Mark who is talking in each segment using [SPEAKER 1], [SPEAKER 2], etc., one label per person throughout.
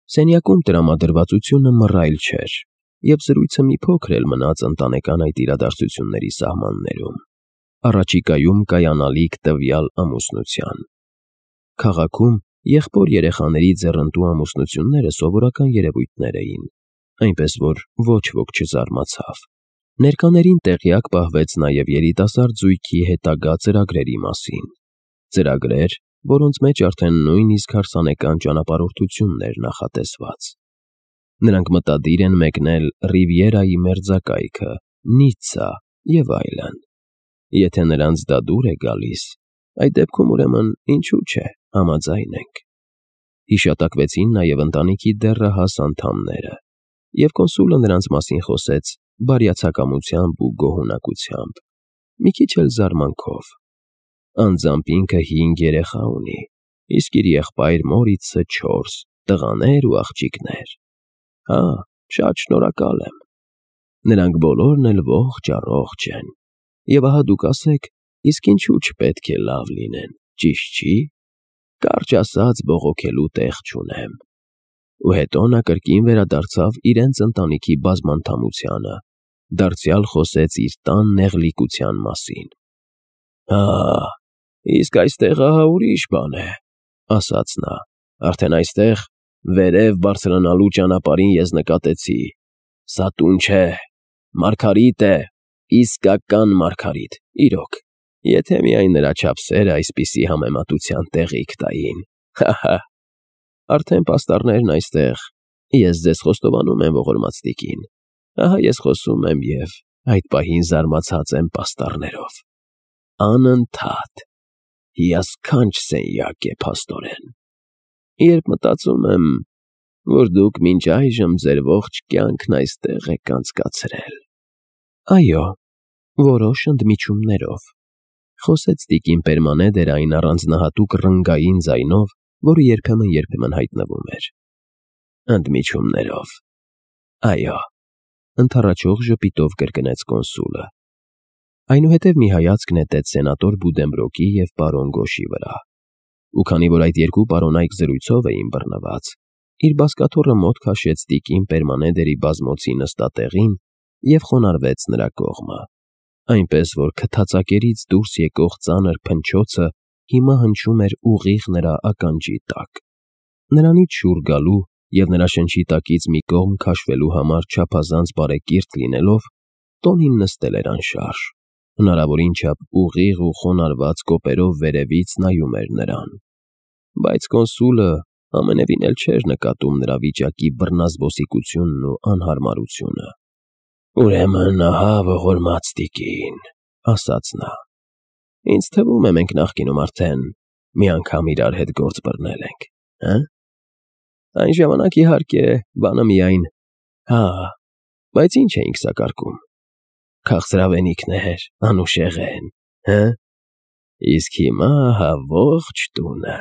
[SPEAKER 1] Սենյակում տրամադրվածությունը մռայլ չէր, և զրույցը մի փոքր էլ մնաց ընտանեկան այդ իրադարձությունների սահմաններում, առաջիկայում կայանալիք տվյալ ամուսնության։ Քաղաքում եղբոր-երեխաների ձեռնտու ամուսնությունները սովորական երևույթներ էին, այնպես որ ոչ ոք չզարմացավ։ Ներկաներին տեղյակ պահվեց նաև երիտասարդ զույգի հետագա ծրագրերի մասին։ Ծրագրեր, որոնց մեջ արդեն նույնիսկ հարսանեկան ճանապարհորդությունն էր նախատեսված։ Նրանք մտադիր են մեկնել Ռիվիերայի մերձակայքը, Նիցցա և այլն։ Եթե նրանց դա դուր է գալիս, այդ դեպքում ուրեմն ինչու՞ չէ, համաձայն ենք։ Հիշատակվեցին նաև ընտանիքի դեռահաս անդամները, և կոնսուլը նրանց մասին խոսեց բարյացակամությամբ ու գոհունակությամբ, մի քիչ էլ զարմանքով։ Անձամբ ինքը 5 երեխա ունի, իսկ իր եղբայր Մորիցը 4 տղաներ ու աղջիկներ։ Հա, շատ շնորհակալ եմ։ Նրանք բոլորն էլ ողջ֊առողջ են։ Եվ ահա դուք ասեք, իսկ ինչու չպետք է լավ լինեն, ճիշտ չի։ Կարճ ասած, բողոքելու տեղ չունեմ։ Ու հետո նա կրկին վերադարձավ իրենց ընտանիքի բազմանդամությանը, դարձյալ խոսեց իր տան նեղլիկության մասին։ Հա, իսկ այստեղ ահա ուրիշ բան է, ասաց նա, արդեն այստեղ վերև բարձրանալու ճանապարհին ես նկատեցի. սա տուն չէ, մարգարիտ է, իսկական մարգարիտ, իրոք, եթե միայն նրա չափսերը այսպիսի համեմատության տեղիք տային, հա։ Արդեն պաստառներն այստեղ, ես ձեզ խոստովանում եմ, ողորմած տիկին, ահա ես խոսում եմ և այդ պահին զարմացած եմ պաստառներով։ Անընդհատ, հիասքանչ սենյակ է, փաստորեն։ Երբ մտածում եմ, որ դուք մինչ այժմ ձեր ողջ կյանքն այստեղ եք անցկացրել։ Այո, որոշ ընդմիջումներով, խոսեց տիկին Պերմանեդերը այն առանձնահատուկ ռնգային ձայնով, որը երբեմն հայտնվում էր։ Ընդմիջումներով, այո, ընդառաջող ժպիտով կրկնեց կոնսուլը։ Այնուհետև մի հայացք նետեց սենատոր Բուդենբրոկի և պարոն Գոշի վրա, ու քանի որ այդ երկու պարոնայք զրույցով էին բռնված, իր բազկաթոռը մոտ քաշեց տիկին Պերմանեդերի բազմոցի նստատեղին և խոնարհվեց նրա կողմը, այնպես որ քթածակերից դուրս եկող ծանր փնչոցը հիմա հնչում էր ուղիղ նրա ականջի տակ։ Նրանից շուռ գալու և նրա շնչի տակից մի կողմ քաշվելու համար չափազանց բարեկիրթ լինելով, տոնին նստել էր անշարժ, հնարավորին չափ ուղիղ ու խոնարհված կոպերով վերևից նայում էր նրան։ Բայց կոնսուլը ամենևին էլ չէր նկատում նրա վիճակի բռնազբոսիկությունն ու անհարմարությունը։ Ուրեմն ահա ողորմած տիկին, ասաց նա, ինձ թվում է մենք նախկինում արդեն մի անգամ իրար հետ գործ բռնել ենք, հը՞։ Այն ժամանակ իհարկե բանը միայն, հա, բայց ինչ էինք սակարկում։ Քաղցրավենիքներ, անուշեղեն, հը՞։ Իսկ հիմա ահա ողջ տունը։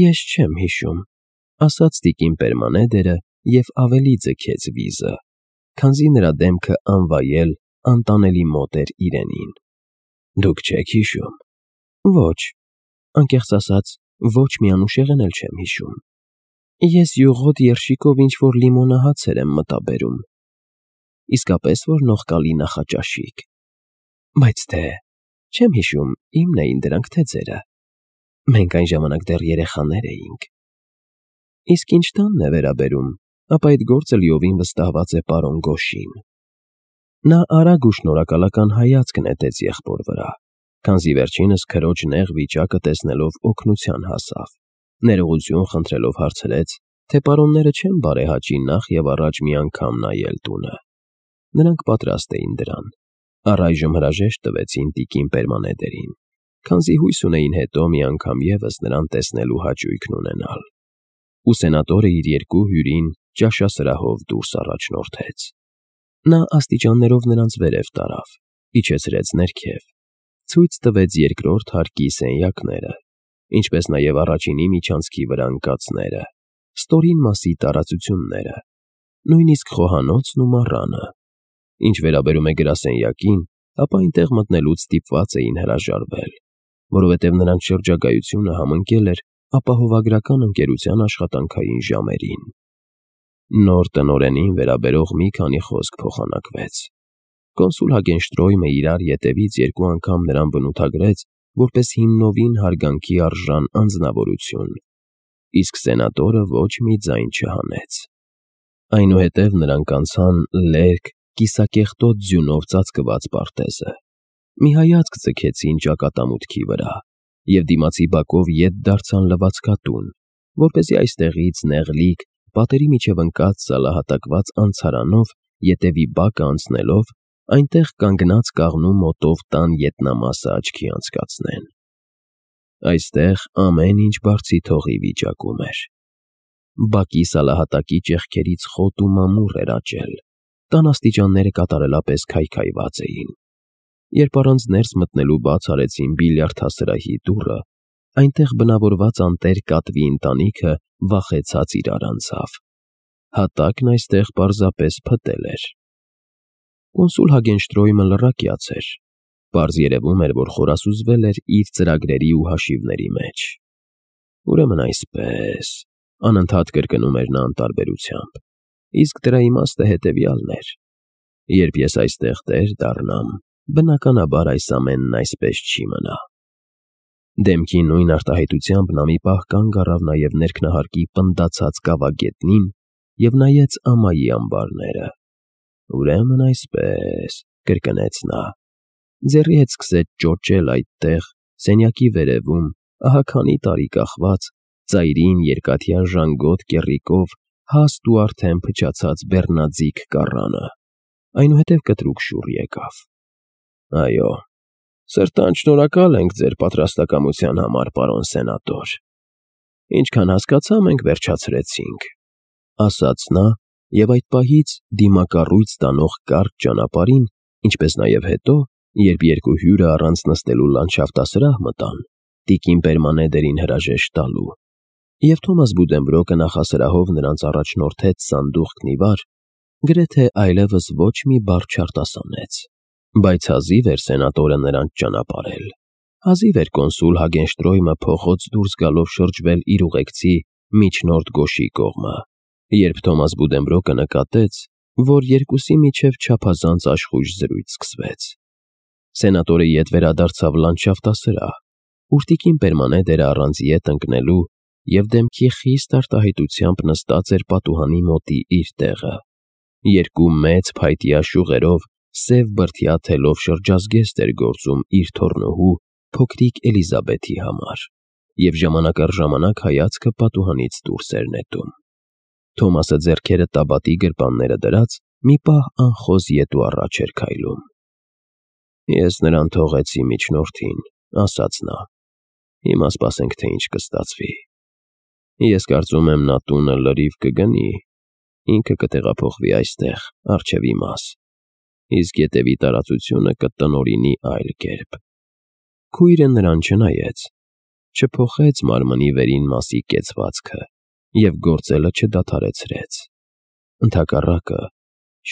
[SPEAKER 1] Ես չեմ հիշում, ասաց տիկին Պերմանեդերը և ավելի ձգեց վիզը, քանզի նրա դեմքը անվայել, անտանելի մոտ էր իրենին։ Դուք չեք հիշում։ Ոչ, անկեղծ ասած, ոչ մի անուշեղեն էլ չեմ հիշում։ Ես յուղոտ երշիկով ինչ-որ լիմոնահացեր եմ մտաբերում։ Իսկապես որ նողկալի նախաճաշիկ։ Բայց թե չեմ հիշում, իմն էին դրանք, թե ձերը։ Մենք այն ժամանակ դեռ երեխաներ էինք։ Իսկ ինչ տանն է վերաբերում, ապա այդ գործը լիովին վստահված է պարոն Գոշին։ Նա արագ ու շնորհակալական հայացք նետեց եղբոր վրա, քանզի վերջինս քրոջ նեղ վիճակը տեսնելով օգնության հասավ, ներողություն խնդրելով հարցրեց, թե պարոնները չեն բարեհաճի նախ և առաջ մի անգամ նայել տունը։ Նրանք պատրաստ էին դրան, առայժմ հրաժեշտ տվեցին տիկին Պերմանեդերին, քանզի հույս ունեին հետո մի անգամ ևս նրան տեսնելու հաճույքն ունենալ։ Ու սենատորը իր երկու հյուրին ճաշասրահով դուրս առաջնորդեց։ Նա աստիճաններով նրանց վերև տարավ, իջեցրեց ներքև, ցույց տվեց երկրորդ հարկի սենյակները, ինչպես նաև առաջինի միջանցքի վրա ընկածները, ստորին մասի տարածությունները, նույնիսկ խոհանոցն ու մառանը։ Ինչ վերաբերում է գրասենյակին, ապա այնտեղ մտնելուց ստիպված էին հրաժարվել, որովհետև նրանց շրջագայությունը համընկել էր ապահովագրական ընկերության աշխատանքային ժամերին։ Նոր տնօրենին վերաբերող մի քանի խոսք փոխանակվեց։ Կոնսուլ Հագենշտրոյմը իրար ետևից 2 անգամ նրան բնութագրեց որպես հիմնովին հարգանքի արժան անձնավորություն, իսկ սենատորը ոչ մի ձայն չհանեց։ Այնուհետև նրանք անցան լերկ, կիսակեղտոտ ձյունով ծածկված պարտեզը։ Մի հայացք ձգեցին ճակատամուտքի վրա և դիմացի բակով ետ դարձան լվացքատուն, որպեսզի այստեղից նեղլիկ, պատերի միջև ընկած սալահատակված անցարանով ետևի բակը անցնելով այնտեղ կանգնած կաղնու մոտով տան ետնամասը աչքի անցկացնեն։ Այստեղ ամեն ինչ բարձի թողի վիճակում էր։ Բակի սալահատակի ճեղքերից խոտ ու մամուռ էր աճել, տան աստիճանները կատարելապես քայքայված էին։ Երբ առանց ներս մտնելու բաց արեցին բիլիարդասրահի դուռը, այնտեղ բնավորված անտեր կատվի ընտանիքը վախեցած իրար անցավ։ Հատակն այստեղ պարզապես փտել էր։ Կոնսուլ Հագենշտրոյմը լռակյաց էր։ Պարզ երևում էր, որ խորասուզվել էր իր ծրագրերի ու հաշիվների մեջ։ Ուրեմն այսպես, անընդհատ կրկնում էր նա անտարբերությամբ, իսկ դրա իմաստը հետևյալն էր. երբ ես այստեղ տեր դառնամ, բնականաբար այս ամենն այսպես չի մնա։ Դեմքի նույն արտահայտությամբ նա մի պահ կանգ առավ նաև ներքնահարկի պնդացած կավագետնին և նայեց ամայի ամբարները։ Ուրեմն այսպես, կրկնեց նա, ձեռի հետ սկսեց ճոճել այդտեղ, սենյակի վերևում, ահա քանի տարի կախված, ծայրին երկաթյա ժանգոտ կեռիկով հաստ ու արդեն փչացած բեռնաձիգ կառանը։ Այնուհետև կտրուկ շուռ եկավ։ Այո, սրտան շնորհակալ ենք ձեր պատրաստակամության համար, պարոն սենատոր։ Ինչքան հասկացա, մենք վերջացրեցինք, ասաց նա և այդ պահից դիմակառույց տանող կարճ ճանապարհին, ինչպես նաև հետո, երբ երկու հյուրը առանց նստելու լանդշաֆտասրահ մտան, տիկին Պերմանեդերին հրաժեշտ տալու, և Թոմաս Բուդենբրոկը նախասրահով նրանց առաջնորդեց սանդուղքն ի վար, գրեթե այլևս ոչ մի բառ չարտասանեց։ Բայց հազիվ էր սենատորը նրանց ճանապարհել, հազիվ էր կոնսուլ Հագենշտրոյմը փողոց դուրս գալով շրջվել իր ուղեկցի միջնորդ Գոշի կողմը, երբ Թոմաս Բուդենբրոկը նկատեց, որ երկուսի միջև չափազանց աշխույժ զրույց սկսվեց։ Սենատորը ետ վերադարձավ լանդշաֆտասրահ, ուր տիկին Պերմանեդերը առանց ետ ընկնելու և դեմքի խիստ արտահայտությամբ նստած էր պատուհանի մոտի իր տեղը։ Երկու մեծ փայտյա շուղերով սև բրդյա թելով շրջազգեստ էր գործում իր թոռնուհու փոքրիկ Էլիզաբեթի համար, և ժամանակ առ ժամանակ հայացքը պատուհանից դուրս էր նետում։ Թոմասը ձեռքերը տաբատի գրպանները դրած մի պահ անխոզ ետ ու առաջ էր քայլում։ Ես նրան թողեցի միջնորդին, ասաց նա։ Հիմա սպասենք, թե ինչ կստացվի։ Ես կարծում եմ նա տունը լրիվ կգնի, ինքը կտեղափոխվի այստեղ, առջև իմաս, իսկ ետևի տարածությունը կտնօրինի այլ կերպ։ Քույրը նրան չնայեց, չփոխեց մարմնի վերին մասի կեցվածքը և գործելը չդադարեցրեց։ Ընդհակառակը,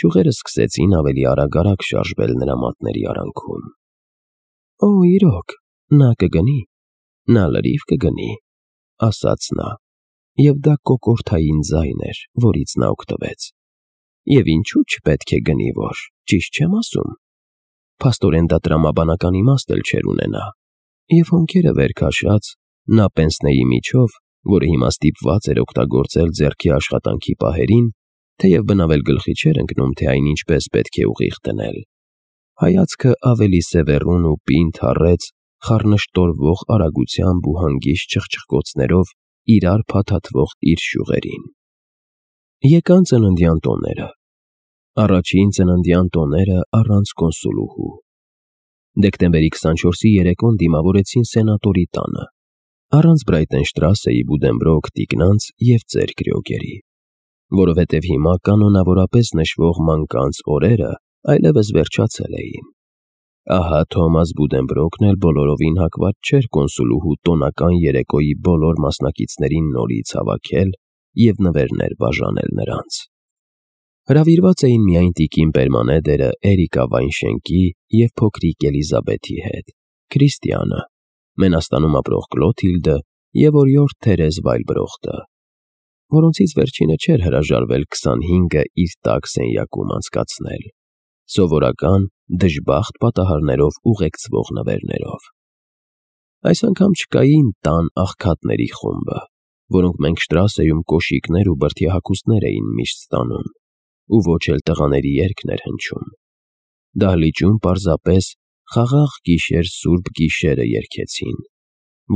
[SPEAKER 1] շուղերը սկսեցին ավելի արագ շարժվել նրա մատների արանքում։ Օ, իրոք, նա կգնի, նա լրիվ կգնի, ասաց նա, և դա կոկորդային ձայն էր, որից նա օգտվեց։ Եվ ինչու չպետք է գնի, որ, ճիշտ չեմ ասում։ Փաստորեն դա տրամաբանական իմաստ էլ չէր ունենա։ Եվ հոնքերը վեր քաշած, նա պենսնեի միջով, որը հիմա ստիպված էր օգտագործել ձեռքի աշխատանքի պահերին, թեև բնավել գլխի չէր ընկնում, թե այն ինչպես պետք է ուղիղ դնել, հայացքը ավելի սևեռուն ու պինդ հառեց խառնշտորվող արագությամբ ու հանգիստ չխչխկոցներով իրար փաթաթվող իր շուղերին։ Եկան ծննդյան տոները։ Առաջին ծննդյան տոները առանց կոնսուլուհու։ Դեկտեմբերի 24-ի երեկոն դիմավորեցին սենատորի տանը, առանց Բրայտենշտրասեի Բուդենբրոկ տիկնանց և ծեր Կրյոգերի, որովհետև հիմա կանոնավորապես նշվող մանկանց օրերը այլևս վերջացել էին։ Ահա Թոմաս Բուդենբրոկն էլ բոլորովին հակված չէր կոնսուլուհու տոնական երեկոյի բոլոր մասնակիցներին նորից հավաքել և նվերներ բաժանել նրանց։ Հրավիրված էին միայն տիկին Պերմանեդերը Էրիկա Վայնշենկի և փոքրիկ Էլիզաբեթի հետ, Քրիստիանը, Մենաստանում ապրող Կլոթիլդը եւ օրիորդ Թերեզ Վայլբրոխտը, որոնցից վերջինը չէր հրաժարվել 25-ը իր տաք սենյակում անցկացնել, սովորական դժբախտ պատահարներով ուղեկցվող նվերներով։ Այս անգամ չկային տան աղքատների խումբը, որոնք մենք Շտրասեում կոշիկներ ու բրդյահագուստներ էին միշտ ստանում, ու ոչ էլ տղաների երգներ հնչում։ Դահլիճում պարզապես խաղաղ գիշեր սուրբ գիշերը երգեցին,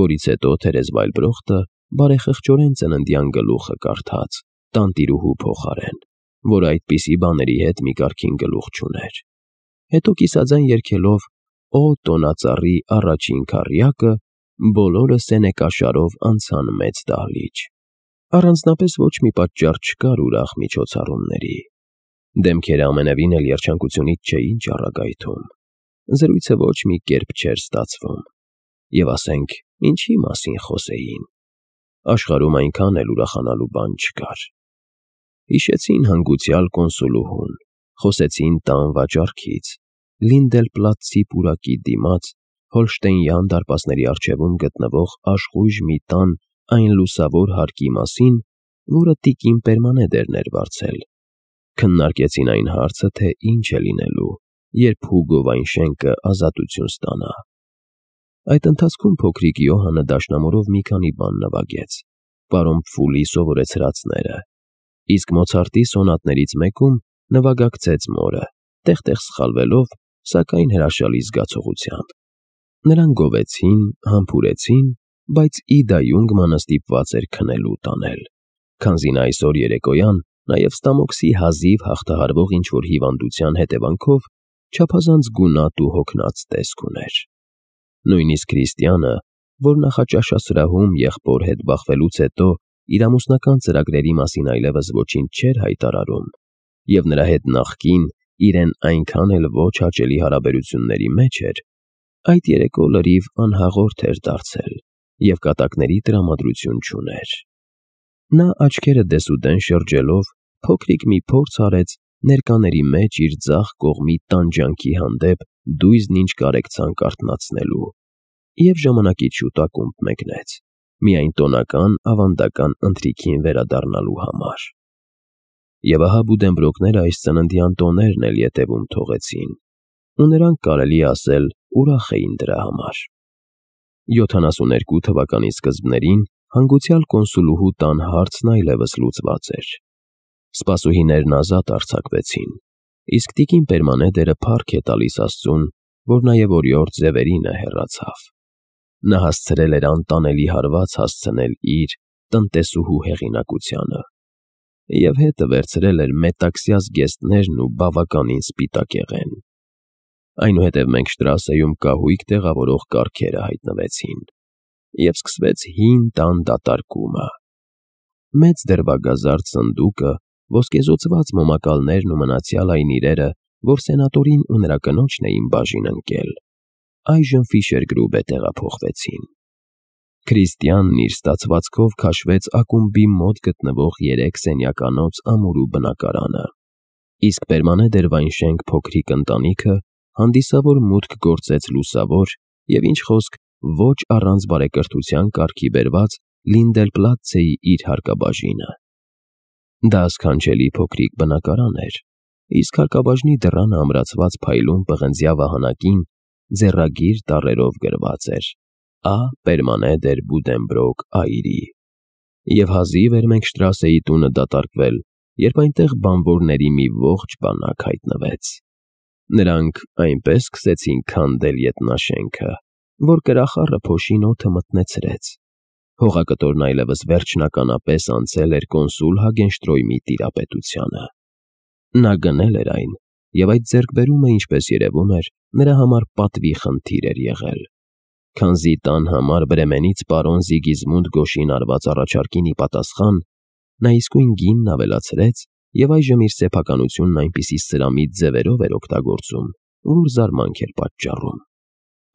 [SPEAKER 1] որից հետո Թերեզ Վայլբրոխտը բարեխղճորեն ծննդյան գլուխը կարդաց, տանտիրուհու փոխարեն, որ այդպիսի բաների հետ մի կարգին գլուխ չուներ։ Հետո կիսաձայն երգելով «Օ տոնածառի առաջին քառյակը» բոլորը սենեկաշարով անցան մեծ դահլիճ։ Առանձնապես ոչ մի պատճառ չկար ուրախ միջոցառումների։ Դեմքերը ամենևին էլ երջանկությունից չէին ճառագայթում։ Զրույցը ոչ մի կերպ չէր ստացվում։ Եվ ասենք, ինչի մասին խոսեին։ Աշխարհում այնքան էլ ուրախանալու բան չկար։ Հիշեցին հանգուցյալ կոնսուլուհուն, խոսեցին տան վաճառքից, Լինդելպլատցի պուրակի դիմաց Հոլշտեյնյան դարպասների առջևում գտնվող աշխույժ մի տան այն լուսավոր հարկի մասին, որը տիկին Պերմանեդերն էր վարձել։ Քննարկեցին այն հարցը, թե ինչ է լինելու, երբ Հուգո Վայնշենկը ազատություն ստանա։ Այդ ընթացքում փոքրիկ Յոհանը դաշնամուրով մի քանի բան նվագեց, պարոն Պֆուլի սովորեցրածները, իսկ Մոցարտի սոնատներից մեկում նվագակցեց մորը, տեղ-տեղ սխալվելով, սակայն հրաշալի զգացողությամբ։ Նրանք գովեցին, համբուրեցին, բայց Իդա Յունգմանը ստիպված էր քնելու տանել, քանզի նա այսօր երեկոյան նաև Ստամոքսի հազիվ հաղթահարվող ինչ-որ հիվանդության հետևանքով չափազանց գունատ ու հոգնած տեսք ուներ։ Նույնիսկ Քրիստիանը, որ նախաճաշասրահում եղբոր հետ բախվելուց հետո իր ամուսնական ծրագրերի մասին այլևս ոչինչ չէր հայտարարում, եւ նրա հետ նախկին իրեն այնքան էլ ոչ հաճելի հարաբերությունների մեջ էր, այդ երեկո լրիվ անհաղորդ էր դարձել եւ կատակների տրամադրություն չուներ։ Նա աչքերը դեսուդեն շրջելով փոքրիկ մի փորձ արեց ներկաների մեջ իր ձախ կողմի տանջանքի հանդեպ դույզն ինչ կարեկցանք արթնացնելու եւ ժամանակից շուտ ակումբ մեկնեց, միայն տոնական ավանդական ընթրիքին վերադառնալու համար։ Եվ ահա Բուդենբրոկները այս ծննդյան տոներն էլ ետևում թողեցին, ու նրանք կարելի ասել ուրախ էին դրա համար։ 72 թվականի սկզբներին հանգուցյալ կոնսուլուհու տան հարցն այլևս լուծված էր։ Սպասուհիներն ազատ արձակվեցին, իսկ տիկին Պերմանեդերը փառք է տալիս Աստծուն, որ նաև օրիորդ Զևերինը հեռացավ։ Նա հասցրել էր անտանելի հարված հասցնել իր տնտեսուհու հեղինակությանը և հետը վերցրել էր մետաքսյա զգեստներն ու բավականին սպիտակեղեն։ Այնուհետև մենք Շտրասեում կահույք տեղավորող կառքերը հայտնվեցին, և սկսվեց հին տան դատարկումը։ Մեծ դրվագազարդ սնդուկը, ոսկեզօծված մոմակալներն ու մնացյալ այն իրերը, որ սենատորին ու նրա կնոջն էին բաժին ընկել, այժմ Ֆիշերգրուբե տեղափոխվեցին։ Քրիստիանն իր ստացվածքով քաշվեց ակումբի մոտ գտնվող 3 սենյականոց ամուրու բնակարանը, իսկ Պերմանեդեր Վայնշենկ փոքրիկ ընտանիքը հանդիսավոր մուտք գործեց լուսավոր և ինչ խոսք ոչ առանց բարեկրթության կարգի բերված Լինդելպլատցեի իր հարկաբաժինը։ Դա սքանչելի փոքրիկ բնակարան էր, իսկ հարկաբաժնի դռանը ամրացված փայլուն պղնձյա վահանակին ձեռագիր տառերով գրված էր «Ա. Պերմանեդեր Բուդենբրոկ Այրի», և հազիվ էր մենք Շտրասեի տունը դատարկվել, երբ այնտեղ բանվորների մի ողջ բանակ հայտնվեց։ Նրանք այնպես սկսեցին քանդել ետնաշենքը, որ կրախառը փոշին օդը մթնեցրեց։ Հողակտորն այլևս վերջնականապես անցել էր կոնսուլ Հագենշտրոյմի տիրապետությանը։ Նա գնել էր այն, և այդ ձեռքբերումը, ինչպես երևում էր, նրա համար պատվի խնդիր էր եղել, քանզի տան համար Բրեմենից պարոն Զիգիզմունդ Գոշին արված առաջարկին ի պատասխան նա իսկույն գինն ավելացրեց և այժմ իր սեփականությունն այնպիսի սրամիտ ձևերով էր օգտագործում, որ զարմանք էր պատճառում։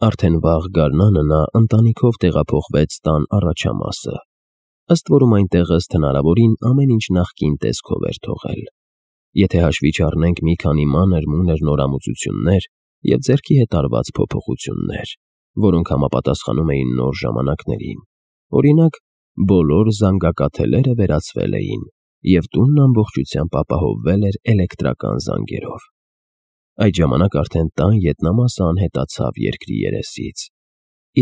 [SPEAKER 1] Արդեն վաղ գարնանը նա ընտանիքով տեղափոխվեց տան առաջամասը, ըստ որում այնտեղ ըստ հնարավորին ամեն ինչ նախկին տեսքով էր թողել, եթե հաշվի չառնենք մի քանի մանր-մունր նորամուծություններ և ձեռքի հետ արված փոփոխություններ, որոնք համապատասխանում էին նոր ժամանակներին, Օրինակ, բոլոր զանգակաթելերը վերացվել էին, և տունն ամբողջությամբ ապահովվել էր էլեկտրական զանգերով։ Այդ ժամանակ արդեն տան ետնամասը անհետացավ երկրի երեսից,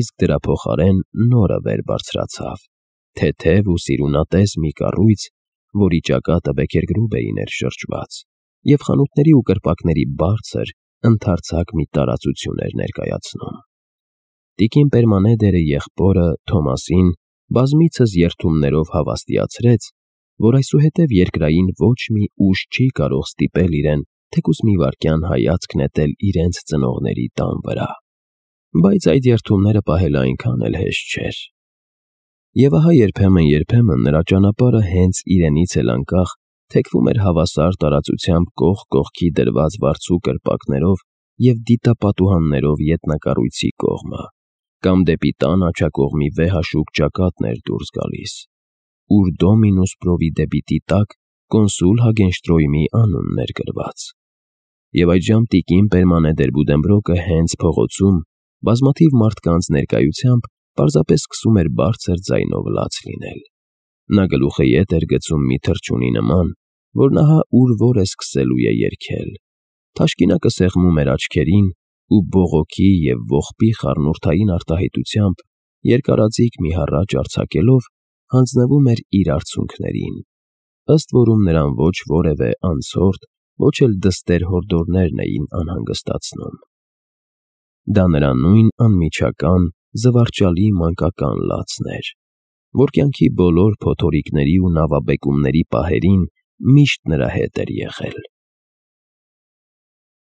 [SPEAKER 1] իսկ դրա փոխարեն նորը վեր բարձրացավ, թեթև ու սիրունատես մի կառույց, որի ճակատը բեկերգրուբերին էր շրջված, և խանութների ու կրպակների բարձր, ընդարձակ մի տարածություն էր ներկայացնում։ Տիկին Պերմանեդերը եղբորը Թոմասին բազմիցս երդումներով հավաստիացրեց, որ այսուհետև երկրային ոչ մի ուժ չի կարող ստիպել իրեն թեկուզ մի վայրկյան հայացք նետել իրենց ծնողների տան վրա։ Բայց այդ երդումները պահելը այնքան էլ հեշտ չէր։ Եվ ահա երբեմն նրա ճանապարհը հենց իրենից էլ անկախ թեքվում էր հավասար տարածությամբ կողք կողքի դրված վարձու կրպակներով և դիտապատուհաններով ետնակառույցի կողմը, կամ դեպի տան աջակողմի վեհաշուք ճակատն էր դուրս գալիս, ուր Դոմինուս Պրովիդեբիտի տակ կոնսուլ Հագենշտրոյմի անունն էր գրված։ Եվ այդժամ տիկին Պերմանեդեր Բուդենբրոկը հենց փողոցում, բազմաթիվ մարդկանց ներկայությամբ պարզապես սկսում էր բարձր ձայնով լաց լինել։ Նա գլուխը ետ էր գցում մի թռչունի նման, որն ահա ուր որ է սկսելու է երգել։ Թաշկինակը սեղմում էր աչքերին ու բողոքի և ողբի խառնուրդային արտահայտությամբ երկարաձիգ մի հառաչ արձակելով հանձնվում էր իր արցունքներին, ըստ որում նրան ոչ որևէ անցորդ, ոչ էլ դստեր հորդորներն էին անհանգստացնում։ Դա նրա նույն անմիջական, զվարճալի մանկական լացն էր, որ կյանքի բոլոր փոթորիկների ու նավաբեկումների պահերին միշտ նրա հետ էր եղել։